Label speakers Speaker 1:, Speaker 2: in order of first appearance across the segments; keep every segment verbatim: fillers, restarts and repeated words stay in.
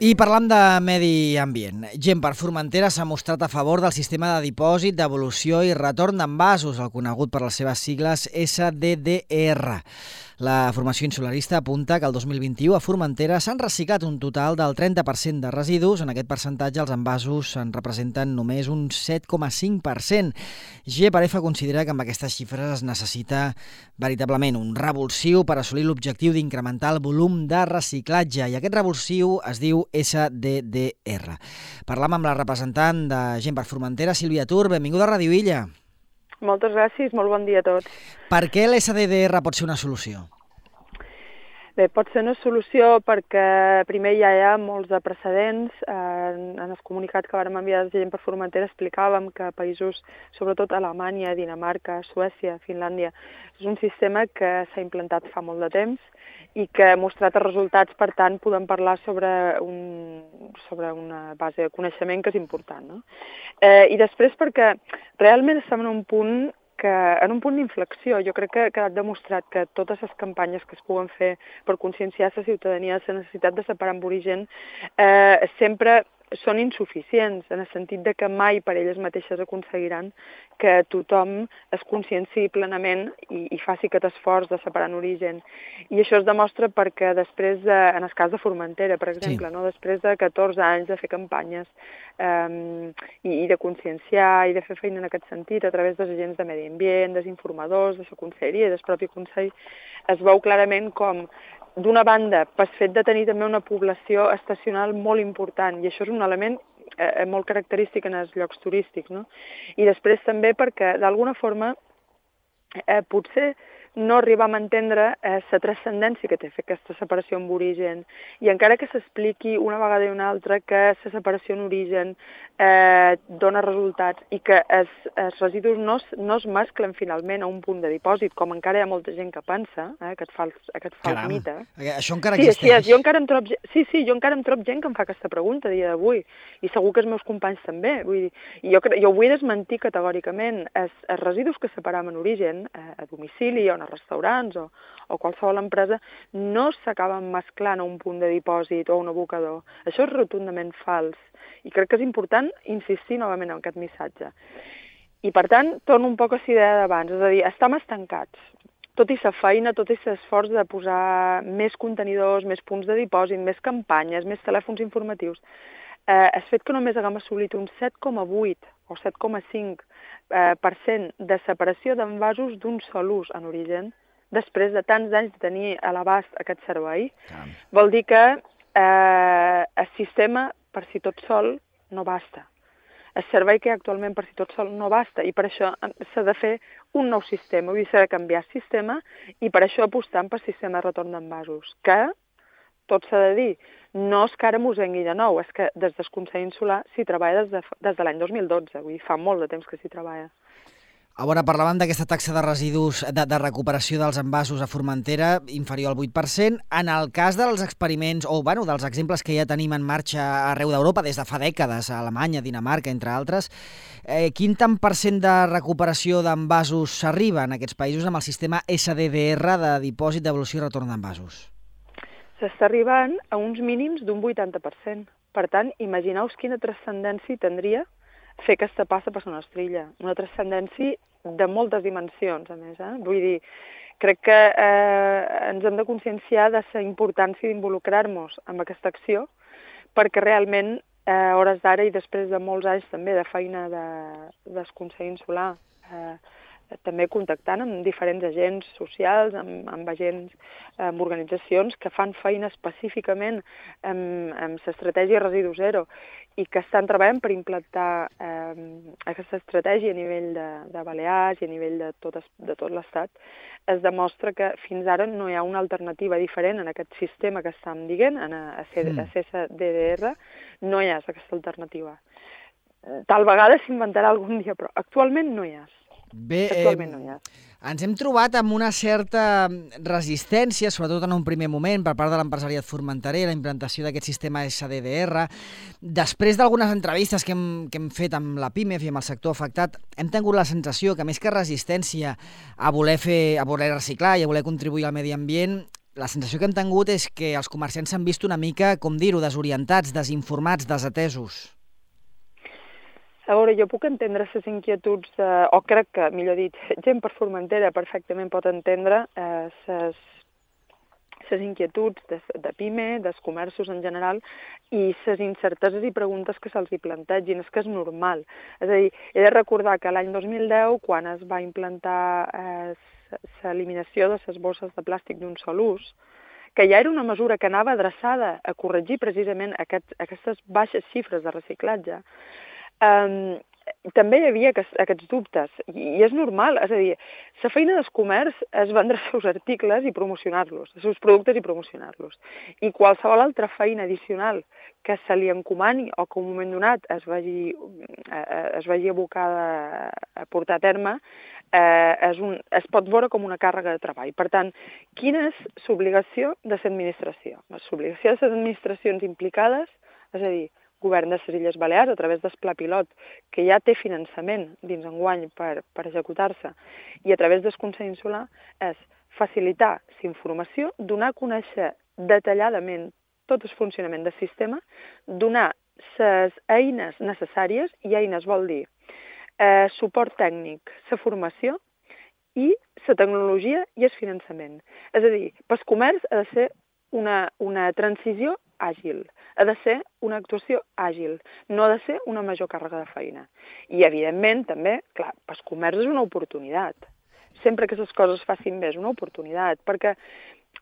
Speaker 1: I parlant de medi ambient, Gent per Formentera s'ha mostrat a favor del sistema de dipòsit, devolució i retorn d'envasos, el conegut per les seves sigles S D D R. La formació insularista apunta que el dos mil vint-i-u a Formentera s'han reciclat un total del trenta per cent de residus. En aquest percentatge els envasos en representen només un set coma cinc per cent. G per F considera que amb aquestes xifres es necessita veritablement un revulsiu per assolir l'objectiu d'incrementar el volum de reciclatge, i aquest revulsiu es diu S D D R. Parlam amb la representant de Gent per Formentera, Sílvia Tur. Benvinguda a Ràdio Illa.
Speaker 2: Moltes gràcies, molt bon dia a tots.
Speaker 1: Per què l'S D D R pot ser una solució?
Speaker 2: Bé, pot ser una solució perquè primer ja hi ha molts de precedents. En els comunicats que vàrem enviar de Gent per Formentera explicàvem que països, sobretot Alemanya, Dinamarca, Suècia, Finlàndia, és un sistema que s'ha implantat fa molt de temps i que ha mostrat els resultats. Per tant, podem parlar sobre, un, sobre una base de coneixement que és important, no? Eh, I després perquè realment estem en un punt que en un punt d'inflexió. Jo crec que ha quedat demostrat que totes les campanyes que es puguen fer per conscienciar la ciutadania de la necessitat de separar amb origen eh, sempre són insuficients, en el sentit de que mai per elles mateixes aconseguiran que tothom es conscienciï plenament i, i faci aquest esforç de separar en origen. I això es demostra perquè després, de, en el cas de Formentera, per exemple, sí. no? després de catorze anys de fer campanyes um, i, i de conscienciar i de fer feina en aquest sentit a través dels agents de medi ambient, dels informadors, de la conselleria i del propi Consell, es veu clarament com d'una banda, pel fet de tenir també una població estacional molt important, i això és un element eh, molt característic en els llocs turístics, no? I després també perquè, d'alguna forma, eh, potser no arribem a entendre eh, la transcendència que té fer aquesta separació amb origen, i encara que s'expliqui una vegada i una altra que la separació en origen eh, dona resultats i que els, els residus no, no es mesclen finalment a un punt de dipòsit, com encara hi ha molta gent que pensa, eh, aquest fals, aquest fals
Speaker 1: Caram,
Speaker 2: mite.
Speaker 1: Això encara
Speaker 2: sí,
Speaker 1: existeix.
Speaker 2: Sí, jo encara em trob, sí, sí, jo encara em trob gent que em fa aquesta pregunta a dia d'avui, i segur que els meus companys també. Vull dir, jo, jo vull desmentir categòricament els, els residus que separam en origen, eh, a domicili o en els restaurants o, o qualsevol empresa, no s'acaben mesclant a un punt de dipòsit o a un abocador. Això és rotundament fals. I crec que és important insistir novament en aquest missatge. I per tant, torno un poc a la idea d'abans, és a dir, estem estancats. Tot i la feina, tot i l'esforç de posar més contenidors, més punts de dipòsit, més campanyes, més telèfons informatius, eh, el fet que només haguem assolit un set coma vuit o set coma cinc eh, per cent de separació d'envasos d'un sol ús en origen, després de tants anys de tenir a l'abast aquest servei, Caram. vol dir que eh, el sistema per si tot sol no basta. El servei que hi ha actualment per si tot sol no basta, i per això s'ha de fer un nou sistema, vull dir, s'ha de canviar el sistema, i per això apostant per sistema de retorn d'envasos, que, tot s'ha de dir, no és que ara m'ho vengui de nou, és que des del Consell Insular s'hi treballa des de, des de l'any dos mil dotze, vull dir, fa molt de temps que s'hi treballa.
Speaker 1: A veure, parlàvem d'aquesta taxa de residus de, de recuperació dels envasos a Formentera inferior al vuit per cent. En el cas dels experiments, o bueno, dels exemples que ja tenim en marxa arreu d'Europa des de fa dècades, a Alemanya, Dinamarca, entre altres, eh, quin tant per cent de recuperació d'envasos s'arriba en aquests països amb el sistema S D D R de dipòsit, devolució i retorn d'envasos?
Speaker 2: S'està arribant a uns mínims d'un vuitanta per cent. Per tant, imagineu-vos quina transcendència tindria fer aquesta passa per una estrella. Una transcendència de moltes dimensions, a més. Eh? Vull dir, crec que eh, ens hem de conscienciar de la importància d'involucrar-nos en aquesta acció, perquè realment, eh, a hores d'ara i després de molts anys també de feina de, del Consell Insular, eh, també contactant amb diferents agents socials, amb, amb agents, amb organitzacions que fan feina específicament amb, amb l'estratègia Residu Zero i que estan treballant per implantar eh, aquesta estratègia a nivell de, de Balears i a nivell de tot, de tot l'Estat, es demostra que fins ara no hi ha una alternativa diferent en aquest sistema que estem dient, en a C S D D R, no hi ha aquesta alternativa. Tal vegada s'inventarà algun dia, però actualment no hi ha.
Speaker 1: Bé, eh, ens hem trobat amb una certa resistència, sobretot en un primer moment, per part de l'empresariat formenterer, la implantació d'aquest sistema S D D R. Després d'algunes entrevistes que hem, que hem fet amb la PIMEF i amb el sector afectat, hem tingut la sensació que més que resistència a voler fer, a voler reciclar i a voler contribuir al medi ambient, la sensació que hem tingut és que els comerciants s'han vist una mica, com dir-ho, desorientats, desinformats, desatesos.
Speaker 2: A veure, jo puc entendre les inquietuds, de, o crec que, millor dit, gent per Formentera perfectament pot entendre les les inquietuds de, de PIME, dels comerços en general, i les incerteses i preguntes que se'ls hi plantegin. És que és normal. És a dir, he de recordar que l'any dos mil deu, quan es va implantar eh, l'eliminació de les bosses de plàstic d'un sol ús, que ja era una mesura que anava adreçada a corregir precisament aquest, aquestes baixes xifres de reciclatge, eh, també hi havia aquests, aquests dubtes, i, i és normal, és a dir, la feina del comerç és vendre els seus articles i promocionar-los, els seus productes i promocionar-los. I qualsevol altra feina addicional que se li encomani o que en un moment donat es vagi, es vagi abocada a portar a terme, eh, és un, es pot veure com una càrrega de treball. Per tant, quina és l'obligació de l'administració? L'obligació de les administracions implicades, és a dir, Govern de les Illes Balears, a través del Pla Pilot, que ja té finançament dins enguany per, per executar-se, i a través del Consell Insular, és facilitar la informació, donar a conèixer detalladament tot el funcionament del sistema, donar les eines necessàries, i eines vol dir eh, suport tècnic, la formació i la tecnologia i el finançament. És a dir, pel comerç ha de ser una, una transició àgil, ha de ser una actuació àgil, no ha de ser una major càrrega de feina. I, evidentment, també, clar, pel comerç és una oportunitat. Sempre que les coses facin bé és una oportunitat, perquè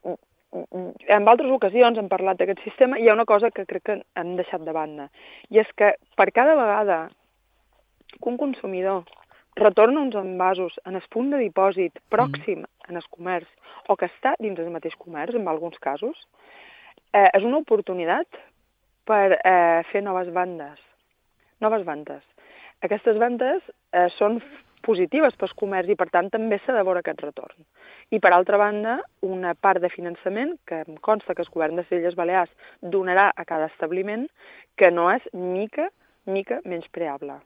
Speaker 2: en altres ocasions hem parlat d'aquest sistema, hi ha una cosa que crec que hem deixat de banda, i és que per cada vegada que un consumidor retorna uns envasos en el punt de dipòsit pròxim en el comerç, o que està dins del mateix comerç, en alguns casos, eh, és una oportunitat per eh, fer noves vendes. Noves vendes. Aquestes vendes eh, són positives pel comerç i, per tant, també s'ha de veure aquest retorn. I, per altra banda, una part de finançament que em consta que el Govern de les Illes Balears donarà a cada establiment, que no és mica, mica menyspreable.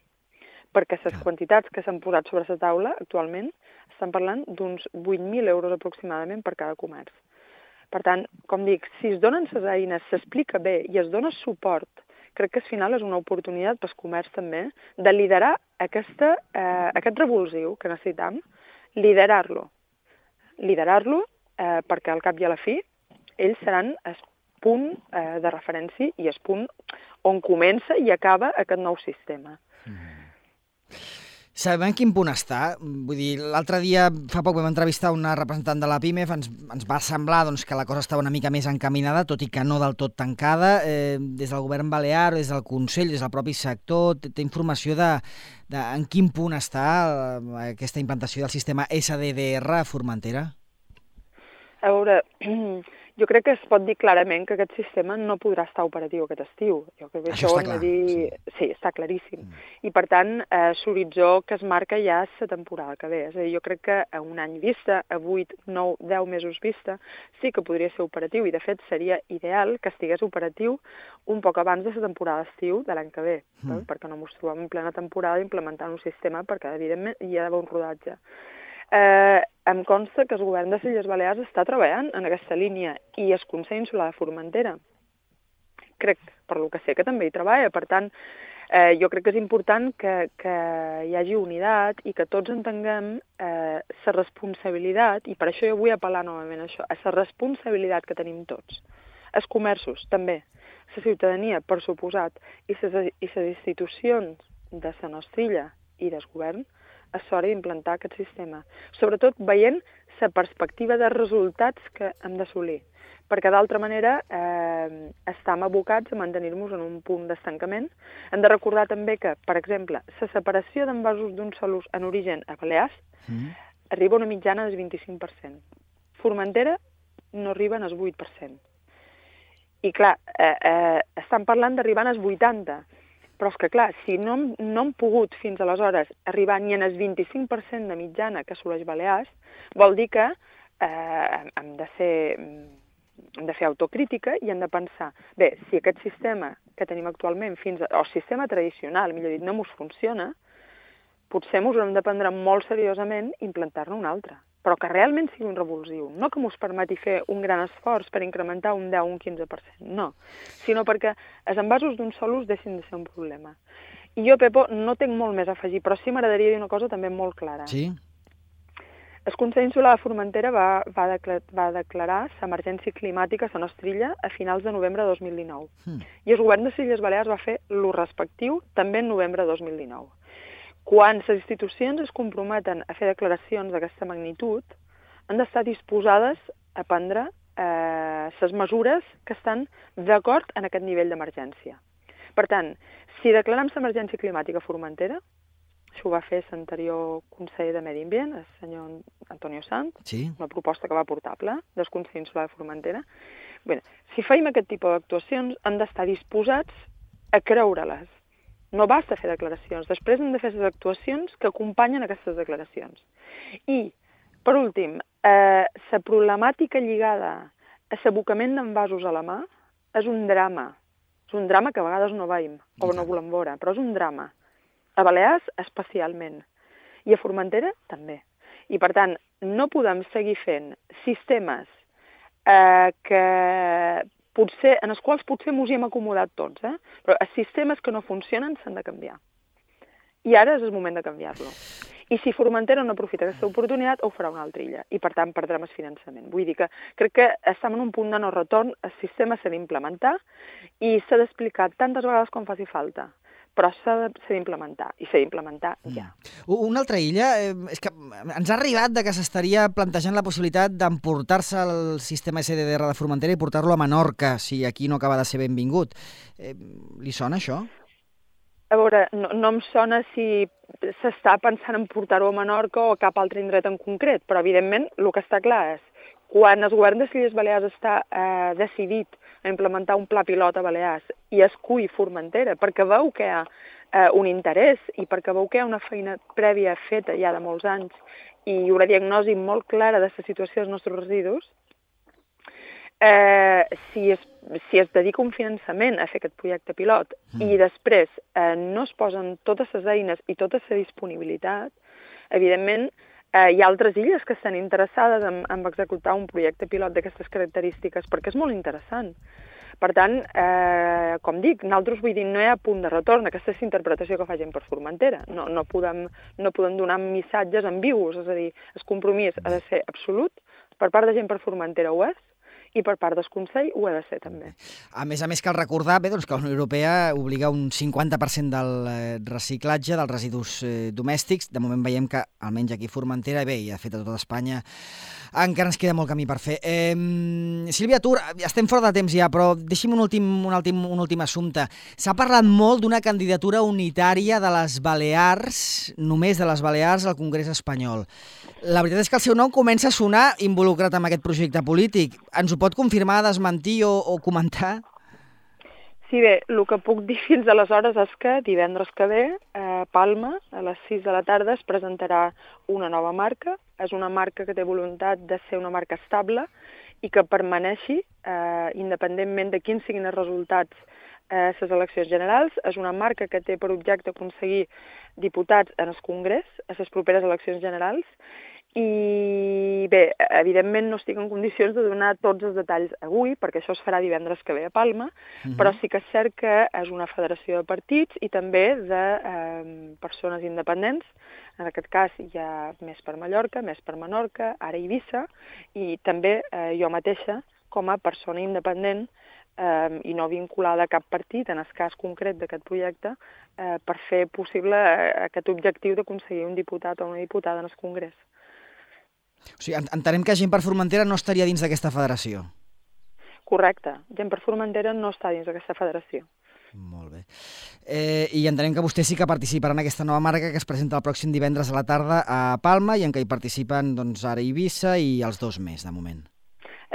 Speaker 2: Perquè les quantitats que s'han posat sobre la taula actualment estan parlant d'uns vuit mil euros aproximadament per cada comerç. Per tant, com dic, si es donen les eines, s'explica bé i es dona suport, crec que al final és una oportunitat pel comerç també de liderar aquesta, eh, aquest revulsiu que necessitam, liderar-lo. Liderar-lo eh, perquè al cap i a la fi ells seran el punt eh, de referència i el punt on comença i acaba aquest nou sistema. Mm.
Speaker 1: Sabem en quin punt està? Vull dir, l'altre dia, fa poc, vam entrevistar una representant de la PIMEF, ens, ens va semblar doncs, que la cosa estava una mica més encaminada, tot i que no del tot tancada. Eh, des del govern balear, des del Consell, des del propi sector, té, té informació de, de en quin punt està aquesta implantació del sistema S D D R a Formentera?
Speaker 2: A veure, jo crec que es pot dir clarament que aquest sistema no podrà estar operatiu aquest estiu. Jo crec que
Speaker 1: això, això està clar.
Speaker 2: Dir... Sí. sí, està claríssim. Mm. I, per tant, eh, l'horitzó que es marca ja és la temporada que ve. És a dir, jo crec que a un any vista, a vuit, nou, deu mesos vista, sí que podria ser operatiu. I, de fet, seria ideal que estigués operatiu un poc abans de la temporada d'estiu de l'any que ve, mm. eh? perquè no ens trobem en plena temporada implementant un sistema, perquè, evidentment, hi ha d'haver un rodatge. Eh, em consta que el govern de les Illes Balears està treballant en aquesta línia i el Consell Insular de Formentera. Crec, per lo que sé, que també hi treballa. Per tant, eh, jo crec que és important que, que hi hagi unitat i que tots entenguem eh, la responsabilitat, i per això jo vull apel·lar novament a això, a la responsabilitat que tenim tots. Els comerços, també. La ciutadania, per suposat, i les institucions de la nostra illa i del govern, és hora d'implantar aquest sistema. Sobretot veient la perspectiva de resultats que hem d'assolir. Perquè d'altra manera eh, estem abocats a mantenir-nos en un punt d'estancament. Hem de recordar també que, per exemple, la separació d'envasos d'un sol ús en origen a Balears mm. arriba a una mitjana del vint-i-cinc per cent. Formentera no arriba al vuit per cent. I clar, eh, eh, estan parlant d'arribar als vuitanta per cent. Però és que, clar, si no, no hem pogut fins aleshores arribar ni en el vint-i-cinc per cent de mitjana que assoleix Balears, vol dir que eh, hem, de ser, hem de fer autocrítica i hem de pensar, bé, si aquest sistema que tenim actualment, fins a, o sistema tradicional, millor dit, no ens funciona, potser ens hem de prendre molt seriosament i implantar-ne un altre. però que realment sigui un revulsiu, no que mos permeti fer un gran esforç per incrementar un deu o un quinze per cent, no, sinó perquè els envasos d'un sol ús deixin de ser un problema. I jo, Pepo, no tinc molt més a afegir, però sí m'agradaria dir una cosa també molt clara.
Speaker 1: Sí?
Speaker 2: El Consell Insular de Formentera va, va, declarar, va declarar l'emergència climàtica a la nostra illa a finals de novembre de dos mil dinou. Mm. I el govern de les Illes Balears va fer lo respectiu també en novembre de dos mil dinou. Quan les institucions es comprometen a fer declaracions d'aquesta magnitud, han d'estar disposades a prendre eh, les mesures que estan d'acord en aquest nivell d'emergència. Per tant, si declarem l'emergència climàtica a Formentera, això ho va fer l'anterior conseller de Medi Ambient, el senyor Antonio Sanz,
Speaker 1: sí.
Speaker 2: Una proposta que va portar ple del Consell Insular de Formentera. Bé, si feim aquest tipus d'actuacions, han d'estar disposats a creure-les. No basta fer declaracions, després hem de fer les actuacions que acompanyen aquestes declaracions. I, per últim, eh, la problemàtica lligada a l'abocament d'envasos a la mà és un drama. És un drama que a vegades no veiem o no volem veure, però és un drama. A Balears, especialment. I a Formentera, també. I, per tant, no podem seguir fent sistemes eh, que... potser, en els quals potser ens hi hem acomodat tots, eh? Però els sistemes que no funcionen s'han de canviar. I ara és el moment de canviar-lo. I si Formentera no aprofita aquesta oportunitat, ho farà una altra illa, i per tant perdrem el finançament. Vull dir que crec que estem en un punt de no retorn, el sistema s'ha d'implementar i s'ha d'explicar tantes vegades com faci falta, però s'ha d'implementar, i s'ha d'implementar ja.
Speaker 1: Mm. Una altra illa, eh, és que ens ha arribat de que s'estaria plantejant la possibilitat d'emportar-se el sistema S D R de Formentera i portar-lo a Menorca, si aquí no acaba de ser benvingut. Eh, li sona això?
Speaker 2: A veure, no, no em sona si s'està pensant en portar-ho a Menorca o a cap altre indret en concret, però evidentment el que està clar és quan el govern de les Illes Balears està eh, decidit a implementar un pla pilot a Balears i escull Formentera perquè veu que hi ha eh, un interès i perquè veu que hi ha una feina prèvia feta ja de molts anys i una diagnosi molt clara de la situació dels nostres residus, eh, si, es, si es dedica un finançament a fer aquest projecte pilot mm. i després eh, no es posen totes les eines i tota la disponibilitat, evidentment Eh, hi ha altres illes que estan interessades en, en executar un projecte pilot d'aquestes característiques, perquè és molt interessant. Per tant, eh, com dic, nosaltres vull dir, no hi ha punt de retorn, aquesta és la interpretació que fa gent per Formentera. No, no, podem, no podem donar missatges ambigus, és a dir, el compromís ha de ser absolut, per part de gent per Formentera ho és, i per part del Consell ho ha de ser també.
Speaker 1: A més a més, cal recordar bé, doncs, que la Unió Europea obliga un cinquanta per cent del eh, reciclatge dels residus eh, domèstics. De moment veiem que, almenys aquí a Formentera, bé, i de fet a tota Espanya, encara ens queda molt camí per fer. Eh, Sílvia Tur, estem fora de temps ja, però deixi'm un últim, un últim, un últim assumpte. S'ha parlat molt d'una candidatura unitària de les Balears, només de les Balears, al Congrés espanyol. La veritat és que el seu nom comença a sonar involucrat en aquest projecte polític. Ens ho pot confirmar, desmentir o, o comentar?
Speaker 2: Sí, bé, el que puc dir fins aleshores és que divendres que ve, a Palma, a les sis de la tarda, es presentarà una nova marca. És una marca que té voluntat de ser una marca estable i que permaneixi, eh, independentment de quins siguin els resultats a eh, les eleccions generals. És una marca que té per objecte aconseguir diputats en el Congrés a les properes eleccions generals. I bé, evidentment no estic en condicions de donar tots els detalls avui, perquè això es farà divendres que ve a Palma, uh-huh. però sí que és cert que és una federació de partits i també de eh, persones independents. En aquest cas hi ha més per Mallorca, més per Menorca, ara Eivissa, i també eh, jo mateixa, com a persona independent eh, i no vinculada a cap partit, en el cas concret d'aquest projecte, eh, per fer possible aquest objectiu d'aconseguir un diputat o una diputada en el Congrés.
Speaker 1: O sigui, entenem que Gent per Formentera no estaria dins d'aquesta federació.
Speaker 2: Correcte. Gent per Formentera no està dins d'aquesta federació.
Speaker 1: Molt bé. Eh, I entenem que vostè sí que participarà en aquesta nova marca que es presenta el pròxim divendres a la tarda a Palma i en què hi participen doncs, ara Eivissa i els dos més, de moment.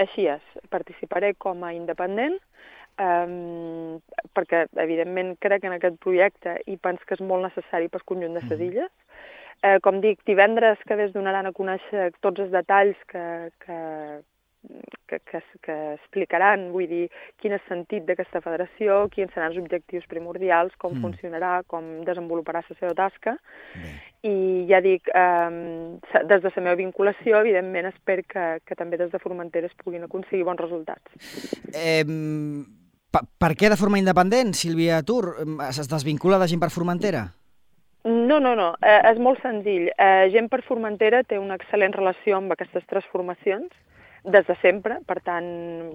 Speaker 2: Així és. Participaré com a independent um, perquè, evidentment, crec en aquest projecte i penso que és molt necessari pel conjunt de les mm. illes. Eh, com dic, divendres que es donaran a conèixer tots els detalls que, que, que, que, que explicaran, vull dir, quin és el sentit d'aquesta federació, quins seran els objectius primordials, com mm. funcionarà, com desenvoluparà la seva tasca. Bé. i ja dic, eh, des de la meva vinculació, evidentment, espero que, que també des de Formentera es puguin aconseguir bons resultats.
Speaker 1: Eh, per, per què de forma independent, Sílvia Tur? Es desvincula de Gent per Formentera?
Speaker 2: No, no, no. Eh, és molt senzill. Eh, Gent per Formentera té una excel·lent relació amb aquestes tres formacions, des de sempre, per tant,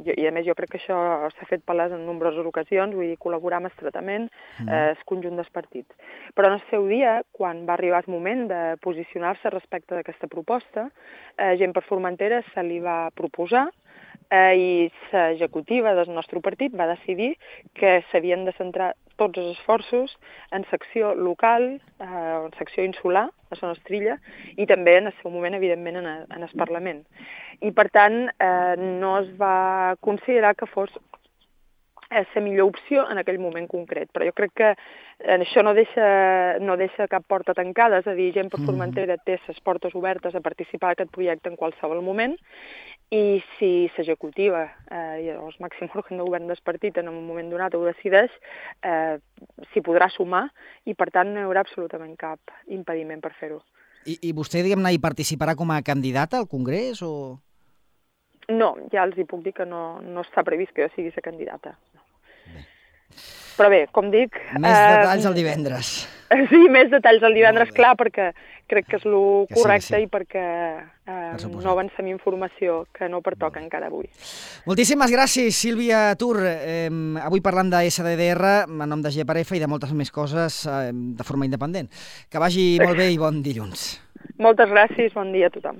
Speaker 2: jo, i a més jo crec que això s'ha fet palès en nombroses ocasions, vull dir, col·laboram estretament, mm. eh, el conjunt dels partits. Però en el seu dia, quan va arribar el moment de posicionar-se respecte d'aquesta proposta, eh, Gent per Formentera se li va proposar eh, i l'executiva del nostre partit va decidir que s'havien de centrar tots els esforços en secció local, eh, en secció insular, a Son Estrilla, i també en el seu moment, evidentment, en, a, en el Parlament. I, per tant, eh, no es va considerar que fos la millor opció en aquell moment concret. Però jo crec que eh, això no deixa, no deixa cap porta tancada, és a dir, Gent per Formentera té les portes obertes a participar d'aquest projecte en qualsevol moment, i si l'executiva eh, i el màxim òrgan de govern del partit en un moment donat ho decideix, eh, s'hi podrà sumar i, per tant, no hi haurà absolutament cap impediment per fer-ho.
Speaker 1: I, I vostè, diguem-ne, hi participarà com a candidata al Congrés o...?
Speaker 2: No, ja els hi puc dir que no, no està previst que jo sigui la candidata. Bé. Però bé, com dic...
Speaker 1: Més eh, detalls el divendres.
Speaker 2: Sí, més detalls el divendres, clar, perquè crec que és el correcte sí, sí. i perquè eh, per no avancem informació que no pertoca no. encara avui.
Speaker 1: Moltíssimes gràcies, Sílvia Tur. Eh, avui parlant de S D D R, en nom de G per F i de moltes més coses eh, de forma independent. Que vagi molt bé i bon dilluns.
Speaker 2: Moltes gràcies, bon dia a tothom.